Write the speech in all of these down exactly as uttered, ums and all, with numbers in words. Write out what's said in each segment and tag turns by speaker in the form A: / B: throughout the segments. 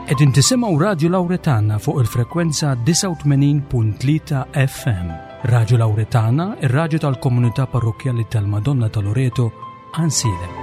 A: Qegħdin tisimgħu Radju Lawretana fuq il-frekwenza disgħa u tmenin punt tlieta F M. Radju Lawretana, ir-radju tal-Komunità Parrokkjali tal-Madonna ta' Loreto, Għajnsielem.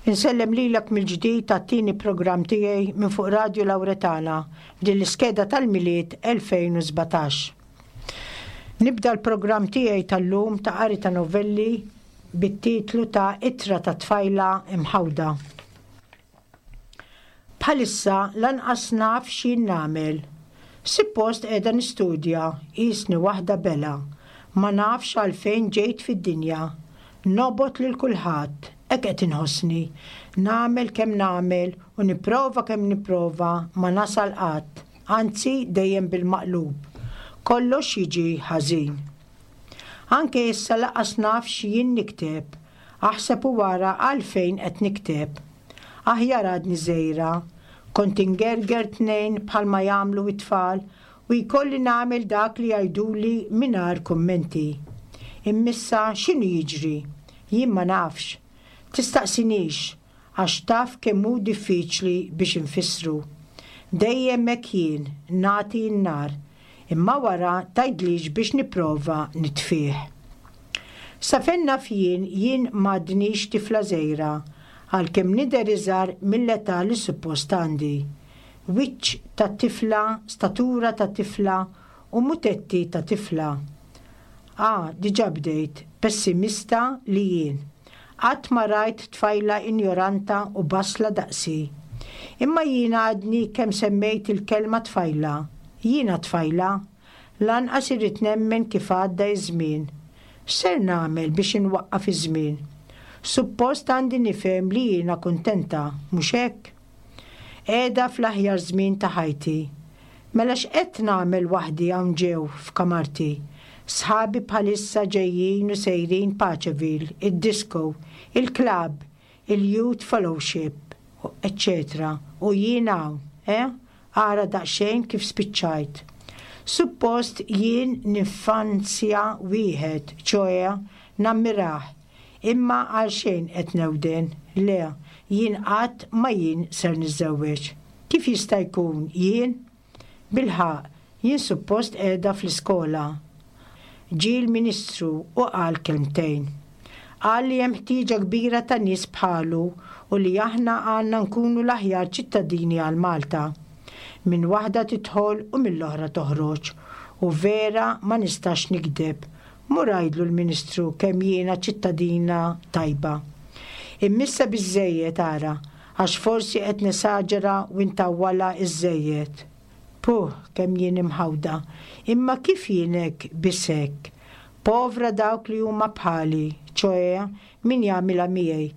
B: Insellem lilek mill-ġdid għat-tieni programm tiegħi minn fuq Radio Lawretana f'din l-iskeda tal-Milied elfejn u sbatax. Nibda l-programm tiegħi tal-lum ta' qari ta' novelli bit-titlu ta' Ittra ta' Tfajla Imħawda. Bħalissa lanqas naf x'jien nagħmel. Suppost qiegħda nistudja, qisni waħda belha. Ma nafx għalfejn ġejt fid-dinja. Nobgħod lil kulħadd, hekk qed inħossni. Nagħmel kemm nagħmel u nipprova kemm nipprova ma nasal qatt, anzi dejjem bil-maqlub. Kollox jiġi ħażin. Anke issa lanqas naf x'jien nikteb. Aħseb u wara għalfejn qed nikteb. Aħjar għadni żgħira, kont ingerger tnejn bħalma jagħmlu it-tfal u jkolli nagħmel dak li jgħiduli mingħajr kummenti. Imma issa x'inhu jiġri? Jien ma nafx. Tistaqsinix għax taf kemm hu diffiċli biex infissru. Dejjem hekk jien nagħti n-nar, imma wara tgħidlix biex nipprova nitfih. Sa fejn naf jien, jien m'għadnix tifla żgħira, għalkemm nidher iżgħar mill-età li suppost għandi. Wiċċ ta' tifla, statura ta' tifla u mutetti ta' tifla. Ah, diġà bdejt, pessimista li jien. Qatt ma rajt tfajla ignoranta u basla daqsi. Imma jiena għadni kemm semmejt il-kelma tfajla. Jiena tfajla. Lanqas irrid nemmen kif għadda iż-żmien. X'ser nagħmel biex inwaqqaf iż-żmien? Suppost għandi nifhem li jiena kuntenta, mhux hekk? Qiegħda fl-aħjar żmien ta' ħajti. Mela x'qed nagħmel waħdi hawn ġew f'kamarti? Sħabi bħalissa ġejjin u sejrin Paceville, id-disco, il-club, il-youth fellowship, eccetera. U jien hawn, eh? Ara daqsxejn kif spiċċajt. Suppost jien nifanzja wieħed, ċoè nammirah, imma għal xejn qed newden, le, jien qatt ma jien ser niżżewweġ. Kif jista' jkun jien? Bilħaqq, jien suppost qiegħda fl-iskola. Ġie l-Ministru u qal kelmtejn. Qal li hemm ħtieġa kbira ta' nies bħalu u li aħna għandna nkunu l-aħjar ċittadini għal Malta. Minn waħda tidħol u mill-oħra toħroġ. U vera ma nistax nikdeb. Mur għidlu l-Ministru kemm jiena ċittadina tajba. Imma issa biżżejjed ara, għax forsi qed nesaġera u ntawwalha iżżejjed. Puh, kemm jien imħawda. Imma kif jien hekk biss hekk? Povra dawk li huma bħali, ċoè min jagħmilha miegħi.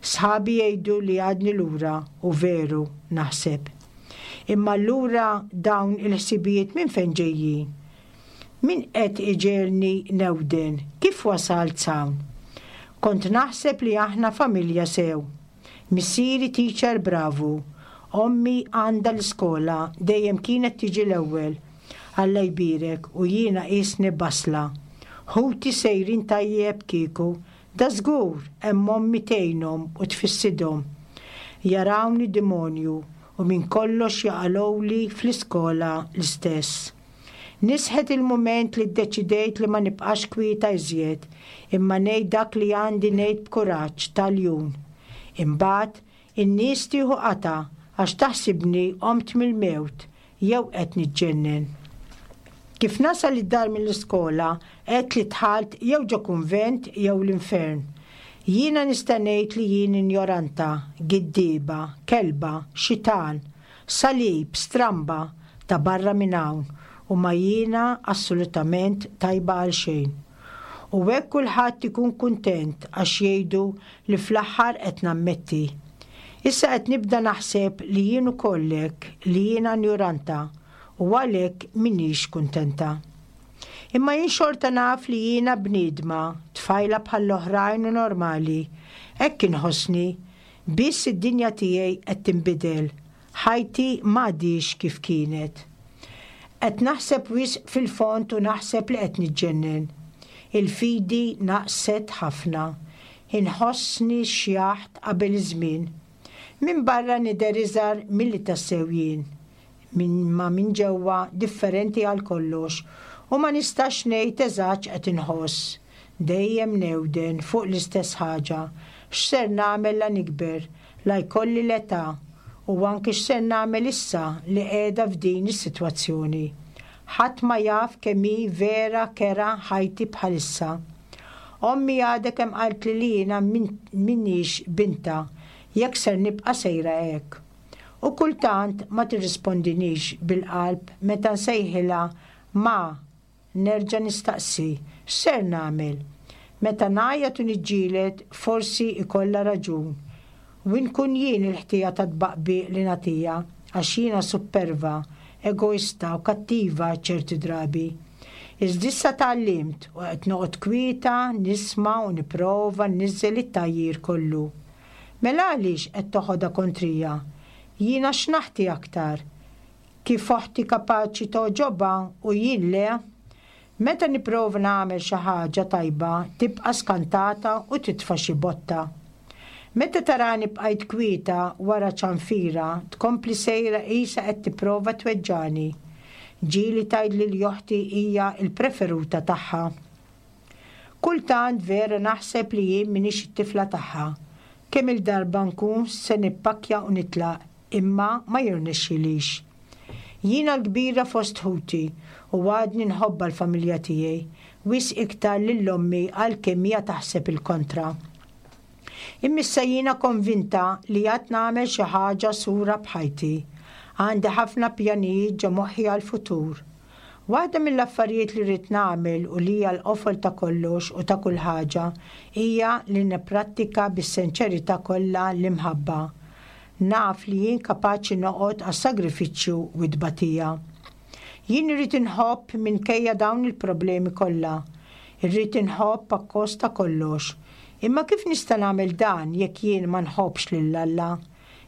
B: Sħabi jgħidu li għadni lura u veru naħseb. Imma allura dawn il-ħsibijiet minn fejn ġejjin? Min qed iġegħelni newden? Kif wasalt hawn? Kont naħseb li aħna familja sew. Missieri teacher bravu. Ommi għandha l-iskola, dejjem kienet tiġi l-ewwel. Alla jbierek u jiena qisni basla. Ħuti sejrin tajjeb kieku, da żgur hemm ommi tgħinhom u tfissidhom. Jarawni demonju u minn kollox jaqalgħuli fl-iskola l-istess. Nisħet il-mument li ddeċidejt li ma nibqax kwieta iżjed, imma ngħid dak li għandi ngħid b'kuraġġ ta' ljun. Imbagħad, in-nies tieħu qatgħa għax taħsibni qomt mill-mewt jew qed niġġennen. Kif nasal id-dar mill-iskola, għedt li dħalt jew ġo kunvent jew l-infern. Jiena nista' ngħid li jien injoranta, giddieba, kelba, xitan, salib, stramba, ta' barra minn hawn u ma jiena assolutament tajba għal xejn. U hekk kulħadd ikun kuntent għax jgħidu li fl-aħħar qed nammetti. Issa qed nibda naħseb li jien ukoll hekk, li jiena injoranta u għalhekk m'iniex kuntenta. Imma jien xorta naf li jiena bniedma, tfajla bħall-oħrajn u normali. Hekk inħossni, biss id-dinja tiegħi qed tinbidel. Ħajti m'għadhiex kif kienet. Qed naħseb wisq fil-fond u naħseb li qed niġġennen. Il-fidi naqset ħafna. Inħossni xjaħt qabel iż-żmien. Minn barra nidher iżgħar milli tassew jien. Imma minn ġewwa differenti għal kollox u ma nistax ngħid eżatt x'qed inħoss. Dejjem newden fuq l-istess ħaġa. X'ser nagħmel la nikber, la jkolli l-età u anki x'ser nagħmel issa li qiegħda f'din is-sitwazzjoni. Ħadd ma jaf kemm hi vera kerha ħajti bħalissa. Ommi għadha kemm qaltli li jiena m'iniex bintha jekk ser nibqa' sejra hekk. U kultant ma tirrispondinix bil-qalb meta nsejħilha ma nerġa' nistaqsi x'ser nagħmel. Meta ngħajjat u niġġieled forsi ikollha raġun. U nkun jien il-ħtija ta' tbaqbiq li nagħtiha għax jiena supperva, egoista u kattiva ċerti drabi. Iżda issa tgħallimt u qed noqgħod kwieta, nisma' u nipprova nniżżel it-tgħajjir kollu. Mela għaliex qed toħodha kontrija? Jiena x'naħti aktar? Kif oħti kapaċi togħġobha u jien le? Meta nipprova nagħmel xi ħaġa tajba tibqa' skantata u titfa' xi botta. Meta tarani bqajt kwieta wara ċanfira tkompli sejra qisha qed tipprova tweġġani. Ġieli tgħidli li oħti hija l-preferuta tagħha. Kultant vera naħseb li jien m'iniex it-tifla tagħha. Kemm il-darba nkun se nippakkja u nitlaq, imma ma jirnexxilix. Jiena l-kbira fost ħuti u għadni nħobbha l-familja tiegħi, wisq iktar lil ommi għalkemm hija taħseb il-kontra. Imma issa jiena konvinta li għad nagħmel xi ħaġa sura b'ħajti. Għandi ħafna pjanijiet ġo moħħi għall-futur. Waħda mill-affarijiet li rrid nagħmel u li hija l-qofol ta' kollox u ta' kull ħaġa hija li nipprattika bis-sinċerità kollha l-imħabba. Naf li jien kapaċi noqgħod għas-sagrifiċċju u t-tbatija. Jien irrid inħobb minkejja dawn il-problemi kollha. Irrid inħobb akkost ta' kollox. Imma kif nista' nagħmel dan jekk jien ma nħobbx lil Alla?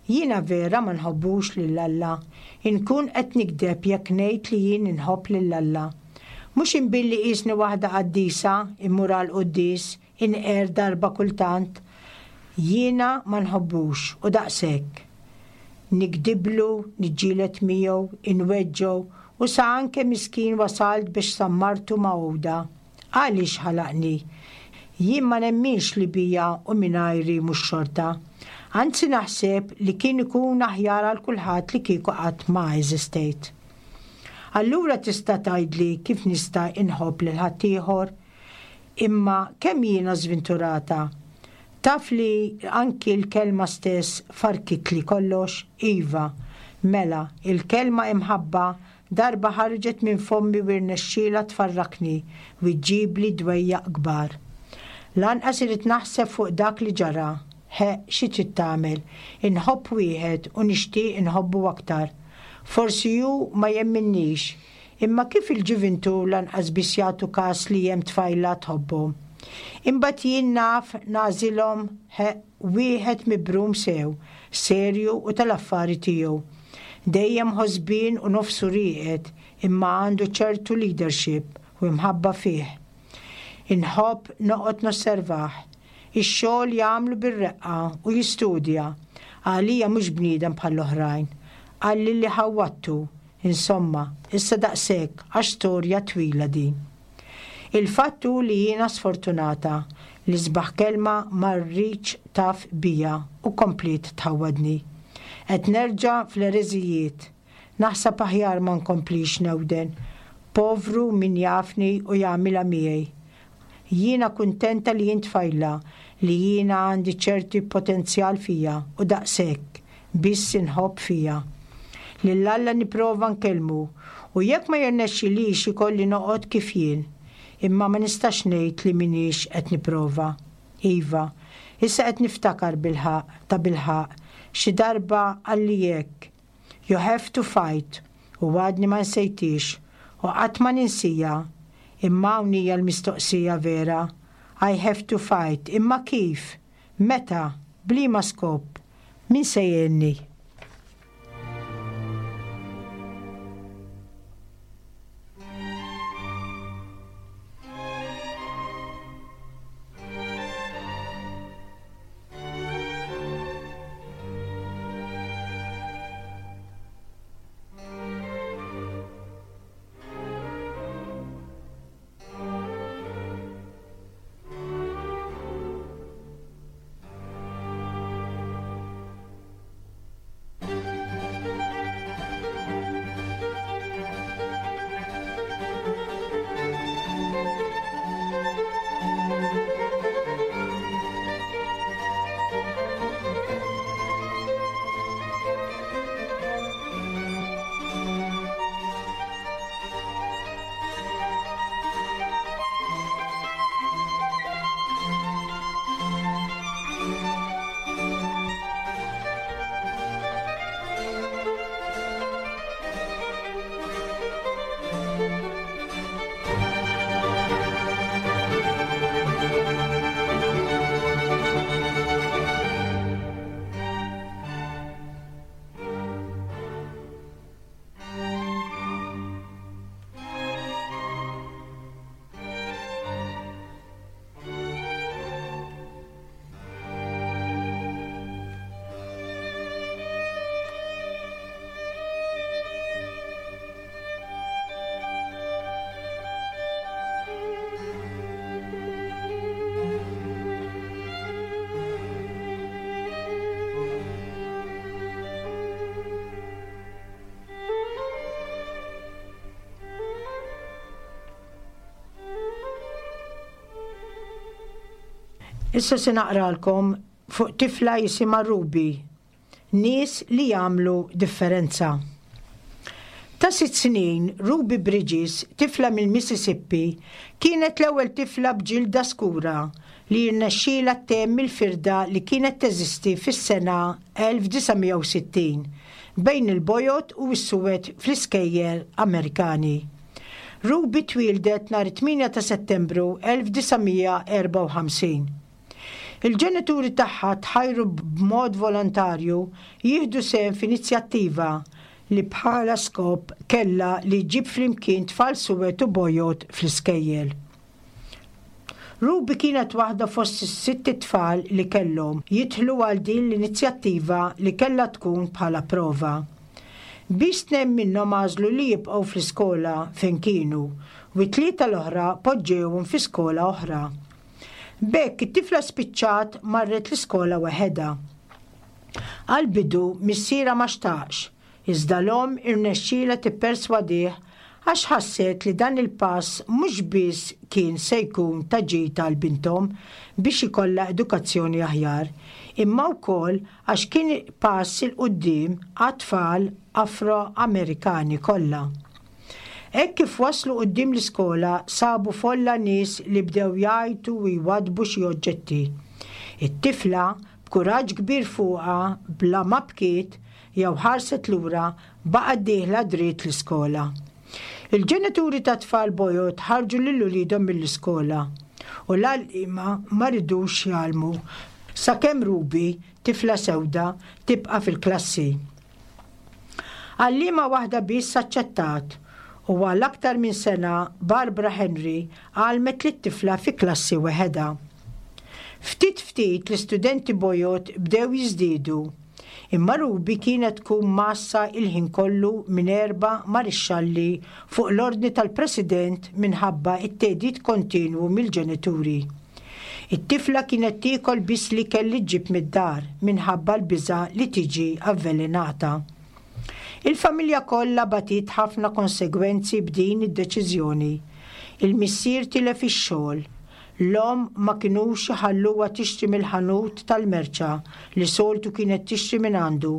B: Jiena vera ma nħobbux lil Alla. Inkun qed nigdeb jekk ngħid li jien inħobb lil Alla. Mhux imbilli qisni waħda qaddisa immur għal quddies inqer darba kultant. Jiena ma nħobbux u daqshekk. Nigdiblu, niġġieled miegħu, inweġġgħu u sa anke miskin wasalt biex sammartu ma' għuda. Għaliex ħalaqni? Jien ma nemminx li bija u mingħajri mhux xorta. Anzi naħseb li kien ikun aħjar għal kulħadd li kieku qatt ma eżistejt. Allura tista' tgħidli kif nista' inħobb lil ħaddieħor? Imma kemm jiena żventurata? Taf li anki l-kelma stess farkitli kollox? Iva, mela, il-kelma imħabba darba ħarġet minn fommi u rnexxielha tfarrakni u ġġibli dwejjaq kbar. Lanqas irrid naħseb fuq dak li ġara. He, xi trid tagħmel? Inħobb wieħed u nixtieq inħobbu aktar. Forsi hu ma jemminnix, imma kif il-ġuvintu lanqas biss jagħtu każ li hemm tfajla tħobbhom. Imbagħad jien naf nagħżilhom he, wieħed mibrum sew, serju u tal-affari tiegħu. Dejjem ħosbien u nofsu rieqed, imma għandu ċertu leadership u imħabba fih. Inħobb noqgħod nosservah. Ix-xogħol jagħmlu bir-reqqa u jistudja. Għalija mhux bniedem bħall-oħrajn. Qalli li ħawwadtu, Insomma, issa daqshekk għax storja twila din. Il-fatt hu li jiena sfortunata, l-isbaħ kelma ma rridx taf bija u kompliet tħawwadni. Qed nerġa' fl-ereżijiet. Naħseb aħjar ma nkomplix newden. Povru min jafni u jagħmilha miegħi. Jiena kuntenta li jien tfajla, li jiena għandi ċerti potenzjal fija u daqshekk biss inħobb fija. Lil Alla nipprova nkellmu u jekk ma jirnexxilix ikolli noqgħod kif jien. Imma ma nistax ngħid li m'iniex qed nipprova. Iva, issa qed niftakar bilħaqq, tabilħaqq, xi darba qalli hekk. You have to fight u għadni ma nsejtix u qatt ma ninsija. Imma hawn hija l-mistoqsija vera. I have to fight. Imma kif? Meta? B'liema skop? Min se jgħinni? Issa se naqralkom fuq tifla jisimha Ruby, nies li jagħmlu differenza. Ta' sitt snin, Ruby Bridges, tifla mill-Mississippi, kienet l-ewwel tifla b'ġilda skura li rnexxielha ttemm il-firda li kienet teżisti fis-sena elf disa' mija u sittin bejn il-bojod u s-suwed fl-iskejjel Amerikani. Ruby twieldet nhar it-tmienja ta' Settembru elf disa' mija erbgħa u ħamsin. Il-ġenituri tagħha tħajru b'mod volontarju jieħdu sehem f'inizjattiva li bħala skop kellha li ġġib flimkien tfal suwed u bojod fl-iskejjel. Ruby kienet waħda fost is-sitt itfal li kellhom jidħlu għal din l-inizjattiva li kellha tkun bħala prova. Biss tnejn minnhom għażlu li jibqgħu fl-iskola fejn kienu u t-tlieta l-oħra poġġewhom fi skola oħra. B'hekk it-tifla spiċċat marret l-iskola waħedha. Għall-bidu missierha ma xtaqx, iżda l-omm irnexxielha tipperswadih għax ħasset li dan il-pass mhux biss kien se jkun ta' ġid għal binthom biex ikollha edukazzjoni aħjar, imma wkoll għax kien pass 'il quddiem għat-tfal Afro-Amerikani kollha. Hekk kif waslu quddiem l-iskola sabu folla nies li bdew jgħajtu u jwaddbu xi oġġetti. It-tifla, b'kuraġġ kbir fuqha, bla ma bkiet jew ħarset lura, baqgħet dieħla dritt l-iskola. Il-ġenituri ta' tfal bojod ħarġu lil uliedhom mill-iskola u l-għalliema ma ridux jgħallmu sakemm Ruby, tifla sewda, tibqa' fil-klassi. Għalliema waħda biss aċċettat u għal aktar minn sena Barbara Henry għallmet lit-tifla fi klassi weħedha. Ftit ftit l-istudenti bojod bdew jiżdiedu, Imma Ruby kienet tkun massa il-ħin kollu minn erba' marixxalli fuq l-ordni tal-President minħabba it-theddid kontinwu mill-ġenituri. It-tifla kienet tiekol biss l-ikel li ġġib mid-dar minħabba l-biża' li tiġi avvelenata. Il-familja kollha batiet ħafna konsegwenzi b'din id-deċiżjoni. Il-missier tilef ix-xogħol. L-omm ma kinux iħalluha tixtri mill-ħanut tal-merċa li soltu kienet tixtri minn għandu.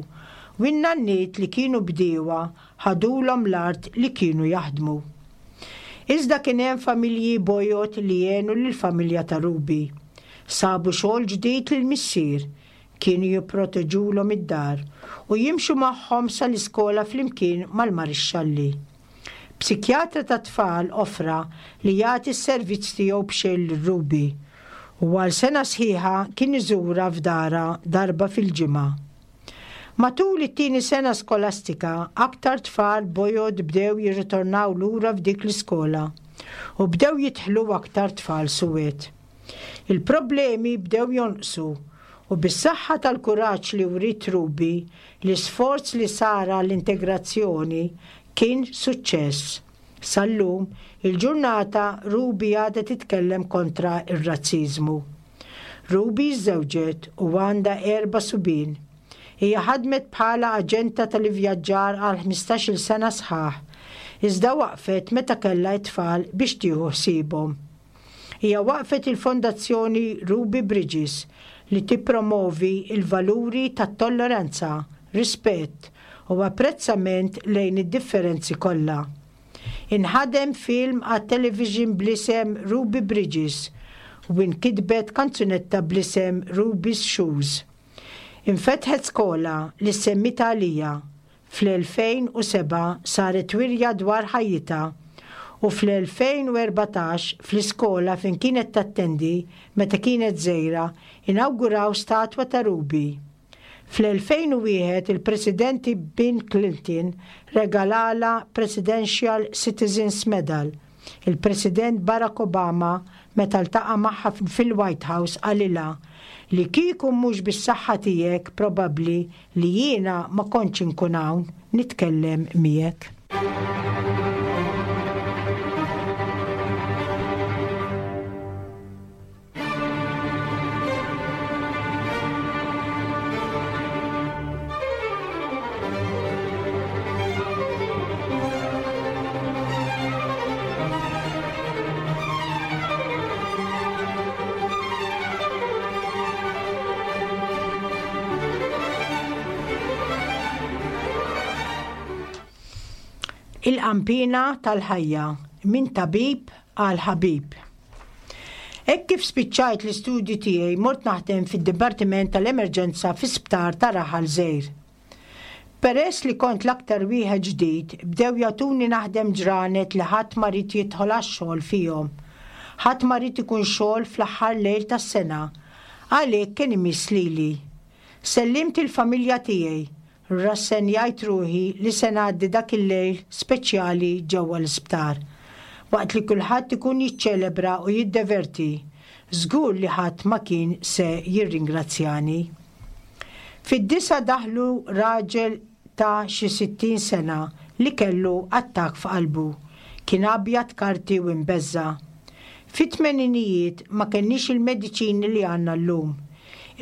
B: U n-nanniet li kienu bdiewa ħadulhom l-art li kienu jaħdmu. Iżda kien hemm familji bojod li għenu lill-familja ta' Ruby. Sabu xogħol ġdid lill-missier, kienu jipproteġulhom id-dar u jimxu magħhom sal-iskola flimkien mal-marixxalli. Psikjatra ta' tfal offra li jagħti s-servizz tiegħu b'xejn lil Ruby u għal sena sħiħa kien iżurha f'darha darba fil-ġimgħa. Matul it-tieni sena skolastika, aktar tfal bojod bdew jirritornaw lura f'dik l-iskola u bdew jidħlu aktar tfal suwed. Il-problemi bdew jonqsu u bis-saħħa tal-kuraġġ li wriet Ruby, l-isforz li sar għall-integrazzjoni kien suċċess. Sal-lum, il-ġurnata Ruby għadha titkellem kontra ir-razziżmu. Ruby żżewġet u għandha erba' subien. Hija ħadmet bħala aġenta tal-ivvjaġġar għal ħmistax-il sena sħaħ, iżda waqfet meta kellha t-tfal biex tieħu ħsiebhom. Hija waqfet il-Fondazzjoni Ruby Bridges li tippromovi il-valuri tat-tolleranza, rispett u apprezzament lejn id-differenzi kollha. Inħadem film għat-television bl-isem Ruby Bridges u inkitbet kanzunetta bl-isem Ruby's Shoes. Infetħet skola li semmita għalija. Fl-elfejn u sebgħa saret wirja dwar ħajjitha u fl-elfejn u erbatax fl-iskola fejn kienet tattendi meta kienet żgħira inawguraw statwa ta' Ruby. Fl-elfejn u wieħed il-Presidenti Bill Clinton regalala Presidential Citizens Medal. Il-President Barack Obama meta ltaqa' magħha fil-White House qalilha li kieku mhux bis-saħħa tiegħek probabbli li jiena ma kontx inkun hawn nitkellem miegħek. Il-qampina tal-ħajja minn tabib għal ħabib. Hekk kif spiċċajt l-istudji tiegħi mort naħdem fid-Dipartiment tal-Emerġenza fi sptar ta' Raħal Żgħir. Peress li kont l-aktar wieħed ġdid, bdew jagħtuni naħdem ġranet li ħadd ma rid jidħol għax-xogħol fihom. Ħadd ma rid ikun xogħol fl-aħħar lejl tas-sena, għalhekk kien imiss lili. Sellimt il-familja tiegħi, rassenjajt ruħi li se ngħaddi dak il-lejl speċjali ġewwa l-isptar. Waqt li kulħadd ikun jiċċelebra u jiddeverti, żgur li ħadd ma kien se jirringrazzjani. Fid-disa daħlu raġel ta' xi sittin sena li kellu attakk f'qalbu. Kien abjad karti u imbeżża'. Fit-tmeninijiet ma kenniex il-mediċini li għandna llum.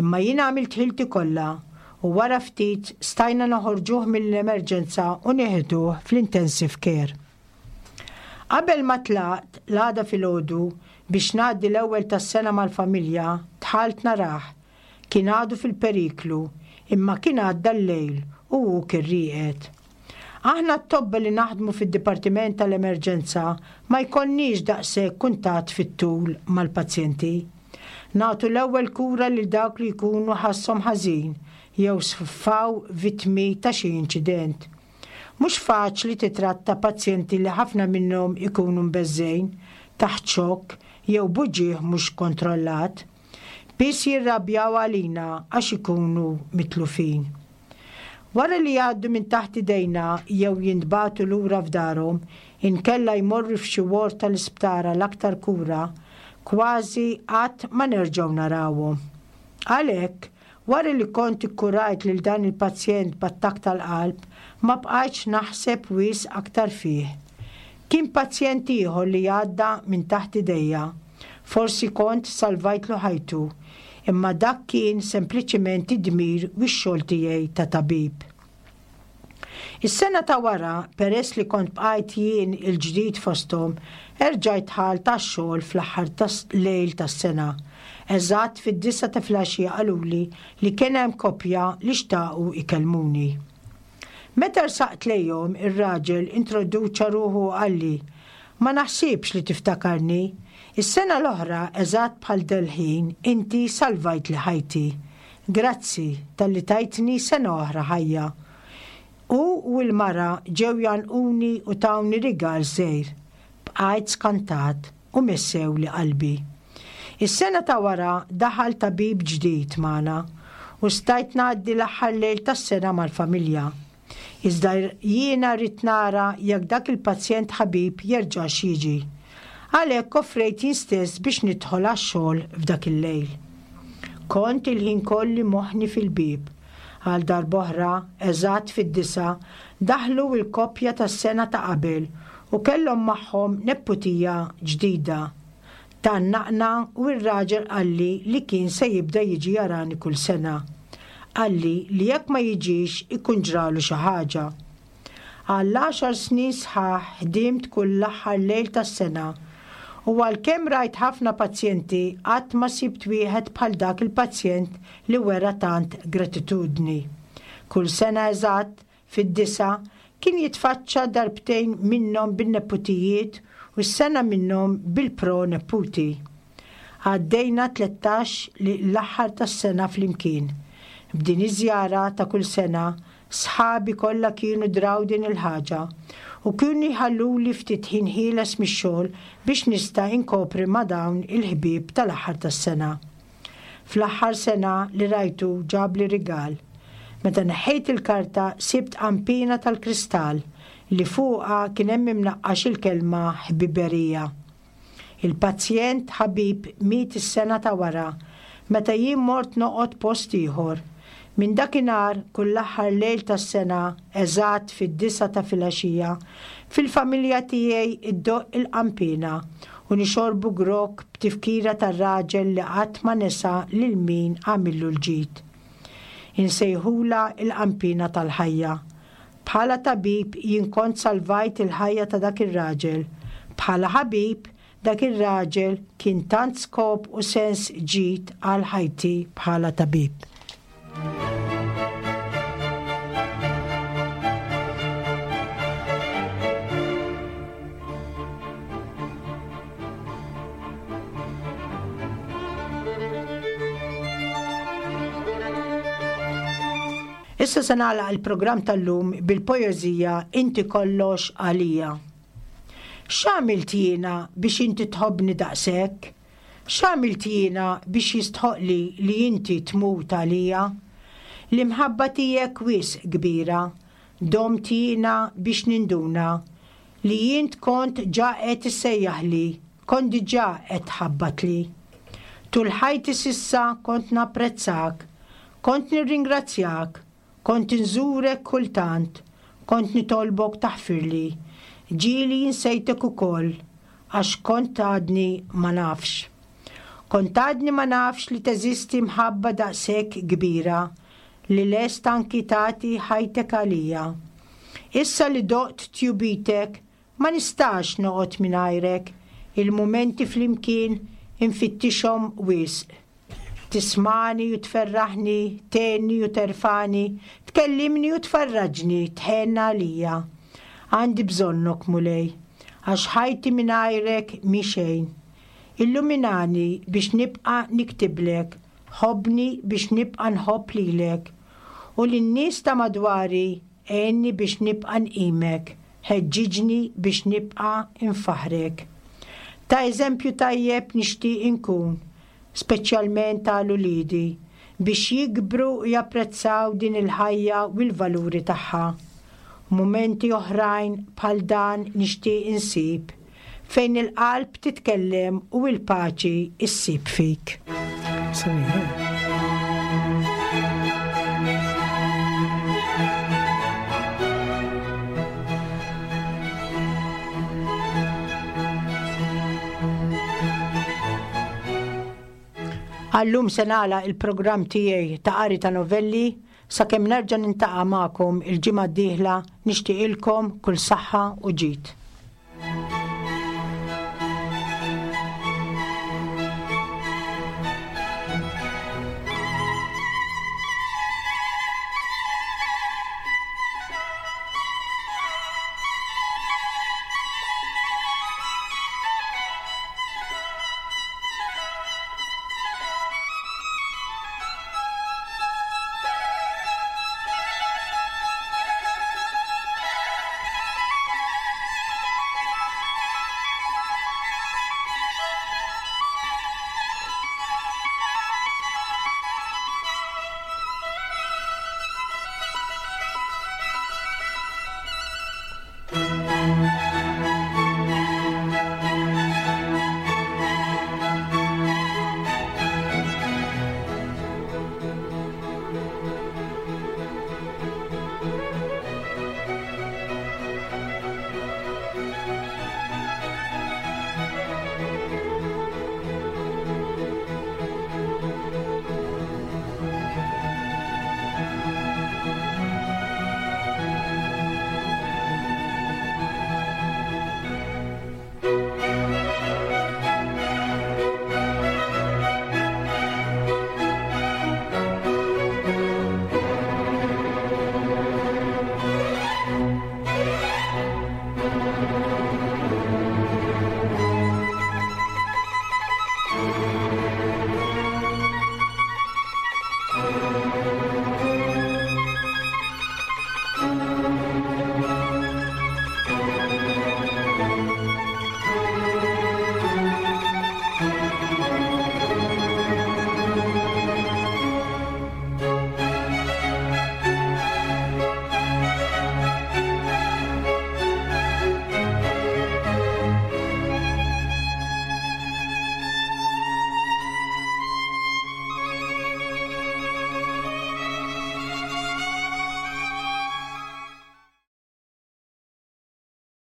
B: Imma jien għamilt ħilti kollha u wara ftit stajna noħorġuh mill-emerġenza u nieħduh fl-intensive care. Qabel ma tlaqt l-għada filgħodu biex ngħaddi l-ewwel tas-sena mal-familja, dħalt narah. Kien għadu fil-periklu, imma kien għadda l-lejl u hu kien rieqed. Aħna t-tobba li naħdmu fid-Dipartiment tal-Emerġenza ma jkollniex daqshekk kuntatt fit-tul mal-pazjenti. Nagħtu l-ewwel kura lil dawk li jkunu ħasshom ħażin jew sfaw vittmi ta' xi inċident. Mhux faċli titratta pazjenti li ħafna minnhom ikunu mbeżżejn, taħt xokk jew buġieħ mhux kontrollat. Biss jirrabjaw għalina għax ikunu mitlufin. Wara li jgħaddu minn taħt idejna jew jintbagħtu lura f'darhom, inkella jmorru f'xi ward tal-isptar għal aktar kura, kważi qatt ma nerġgħu narawhom. Għalhekk, Wara li kont ikkurajt lil dan il-pazjent b'attakk tal-qalb, ma bqajtx naħseb wisq aktar fih. Kien pazjent ieħor li għadda minn taħt idejja. Forsi kont salvajtlu ħajtu, imma dak kien sempliċiment id-dmir u x-xogħol tiegħi ta' tabib. Is-sena ta' wara, peress li kont bqajt jien il-ġdid fosthom, erġajt dħalt għax-xogħol fl-aħħar lejl tas-sena. Eżatt fid-disgħa ta' filgħaxija qaluli li kien hemm koppja li xtaqu ikellmuni. Meta rsaqt lejhom, ir-raġel introduċa ruħu u qalli, Ma naħsibx li tiftakarni. Is-sena l-oħra, eżatt bħal dal-ħin, inti salvajtli ħajti. Grazzi talli tajtni sena oħra ħajja. Hu u l-mara ġew jgħannquni u tawni rigal żgħir. Bqajt skantat u messewli qalbi. Is-sena ta' wara daħal tabib ġdid magħna u stajt ngħaddi l-aħħar lejl tas-sena mal-familja. Iżda jiena ridt nara jekk dak il-pazjent ħabib jerġax jiġi. Għalhekk offrejt jien stess biex nidħol għax-xogħol f'dak il-lejl. Kont il-ħin kolli moħħni fil-bieb. Għal darb'oħra, eżatt fid-disgħa, daħlu l-koppja tas-sena ta' qabel u kellhom magħhom nepputija ġdida. Tgħannaqna u r-raġel qalli li kien se jibda jiġi jarani kull sena. Qalli li jekk ma jiġix ikun ġralu xi ħaġa. Għall-għaxar snin sħaħ ħdimt kull l-aħħar lejl tas-sena u għalkemm rajt ħafna pazjenti qatt ma sibt wieħed bħal dak il-pazjent li wera tant gratitudni. Kull sena eżatt fid-disgħa kien jitfaċċa darbtejn minnhom bin-neputijiet u s-sena minnhom bil-pro-neputi. Għaddejna tlettax li l-aħħar tas-sena flimkien. B'din iż-żjara ta' kull sena, sħabi kollha kienu draw din il-ħaġa u kienu jħalluli ftit ħin ħieles mix-xogħol biex nista' inkopri ma' dawn il-ħbieb tal-aħħar tas-sena. Fl-aħħar sena li rajtu ġabli rigal. Meta neħħejt il-karta sibt qampina tal-kristall li fuqha kien hemm imnaqqax il-kelma ħbiberija. Il-pazjent ħabib miet is-sena ta' wara meta jien mort noqgħod post ieħor. Minn dakinhar kull l-aħħar lejl tas-sena, eżatt fid-disgħa ta' filgħaxija, fil-familja tiegħi iddoqq il-qampina u nixorbu grokk b'tifkira tar-raġel li qatt ma nesa lil min għamillu l-ġid. Insejħulha l-qampina tal-ħajja. Bħala tabib jien kont salvajt il-ħajja ta' dak ir-raġel. Bħala ħabib, dak ir-raġel kien tant skop u sens ġid għal ħajti bħala tabib. Issa se nagħlaq il-programm tal-lum bil-poeżija Inti kollox għalija. X'għamilt jiena biex inti tħobbni daqshekk? X'għamilt jiena biex jistħoqli li inti tmut għalija? L-imħabba tiegħek wisq kbira, domt jiena biex ninduna li int kont ġa qed issejjaħli, kont diġà qed tħabbatli. Tul ħajti s'issa kont napprezzak, kont nirringrazzjak, kont inżurek kultant, kont nitolbok taħfirli. Ġieli insejtek ukoll, għax kont għadni ma nafx. Kont għadni ma nafx li teżisti mħabba daqshekk kbira li lest anki tagħti ħajtek għalija. Issa li doqt tjubitek, ma nistax noqgħod mingħajrek, il-mumenti flimkien infittixhom wisq. Tismagħni u tferraħni, tgħinni u terfagħni, tkellimni u tfarraġni, tħenn għalija. Għandi bżonnok, Mulej, għax ħajti mingħajrek mhi xejn. Illuminani biex nibqa' niktiblek, ħobbni biex nibqa' nħobb lilek. U lin-nies ta' madwari għinni biex nibqa' nqimek, ħeġġiġni biex nibqa' nfaħħrek. Ta' eżempju tajjeb nixtieq inkun, speċjalment għal uliedi, biex jikbru u japprezzaw din il-ħajja u l-valuri tagħha. Mumenti oħrajn bħal dan nixtieq insib, fejn il-qalb titkellem u l-paċi ssib fik. Għallum se nagħlaq il-programm tiegħi ta' qari ta' novelli sakemm nerġa' niltaqa' magħkom il-ġimgħa d-dieħla nixtieqilkom kull saħħa u ġid.